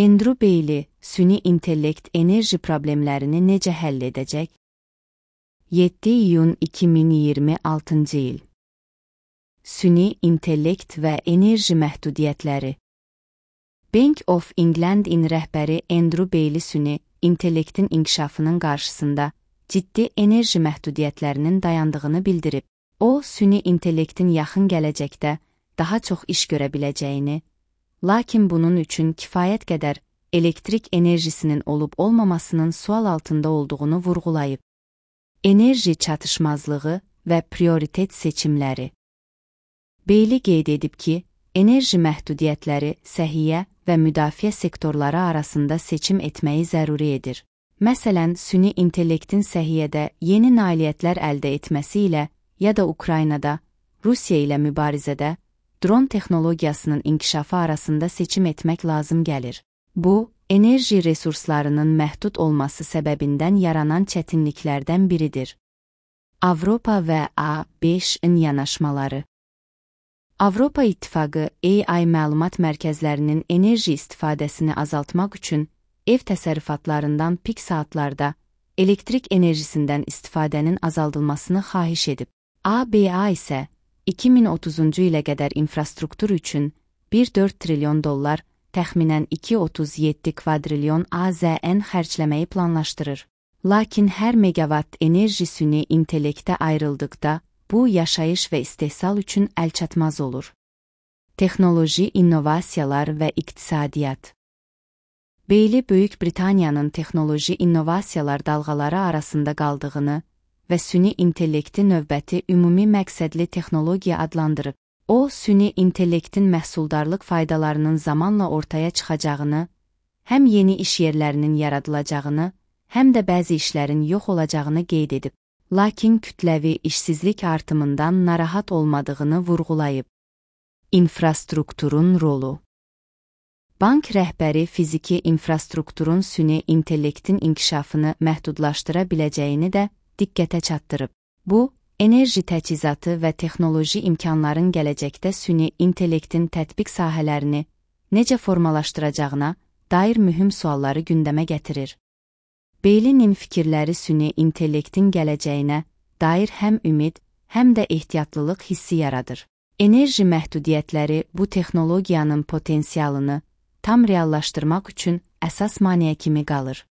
Andrew Bailey, süni intellekt enerji problemlərini necə həll edəcək? 7 iyun 2026 il. Süni intellekt və enerji məhdudiyyətləri. Bank of England-in rəhbəri Andrew Bailey süni intellektin inkişafının qarşısında ciddi enerji məhdudiyyətlərinin dayandığını bildirib. O, süni intellektin yaxın gələcəkdə daha çox iş görə biləcəyini, lakin bunun üçün kifayət qədər elektrik enerjisinin olub-olmamasının sual altında olduğunu vurğulayıb. Enerji çatışmazlığı və prioritet seçimləri. Bailey qeyd edib ki, enerji məhdudiyyətləri səhiyyə və müdafiə sektorları arasında seçim etməyi zəruri edir. Məsələn, süni intellektin səhiyyədə yeni nailiyyətlər əldə etməsi ilə ya da Ukraynada, Rusiya ilə mübarizədə, dron texnologiyasının inkişafı arasında seçim etmək lazım gəlir. Bu, enerji resurslarının məhdud olması səbəbindən yaranan çətinliklərdən biridir. Avropa və A5-in yanaşmaları. Avropa İttifaqı AI məlumat mərkəzlərinin enerji istifadəsini azaltmaq üçün ev təsərrüfatlarından pik saatlarda elektrik enerjisindən istifadənin azaldılmasını xahiş edib. ABA isə 2030-cu ilə qədər infrastruktur üçün 1,4 trilyon dollar, təxminən 2,37 kvadrilyon AZN xərcləməyi planlaşdırır. Lakin hər megawatt enerji süni intellektə ayrıldıqda, bu yaşayış və istehsal üçün əlçatmaz olur. Texnoloji innovasiyalar və iqtisadiyyat. Bailey Böyük Britaniyanın texnoloji innovasiyalar dalğaları arasında qaldığını və süni intellekti növbəti ümumi məqsədli texnologiya adlandırıb. O, süni intellektin məhsuldarlıq faydalarının zamanla ortaya çıxacağını, həm yeni iş yerlərinin yaradılacağını, həm də bəzi işlərin yox olacağını qeyd edib. Lakin kütləvi işsizlik artımından narahat olmadığını vurğulayıb. İnfrastrukturun rolu. Bank rəhbəri fiziki infrastrukturun süni intellektin inkişafını məhdudlaşdıra biləcəyini də diqqətə çatdırıb. Bu, enerji təchizatı və texnoloji imkanların gələcəkdə süni intellektin tətbiq sahələrini necə formalaşdıracağına dair mühüm sualları gündəmə gətirir. Bailey'nin fikirləri süni intellektin gələcəyinə dair həm ümid, həm də ehtiyatlılıq hissi yaradır. Enerji məhdudiyyətləri bu texnologiyanın potensialını tam reallaşdırmaq üçün əsas maneə kimi qalır.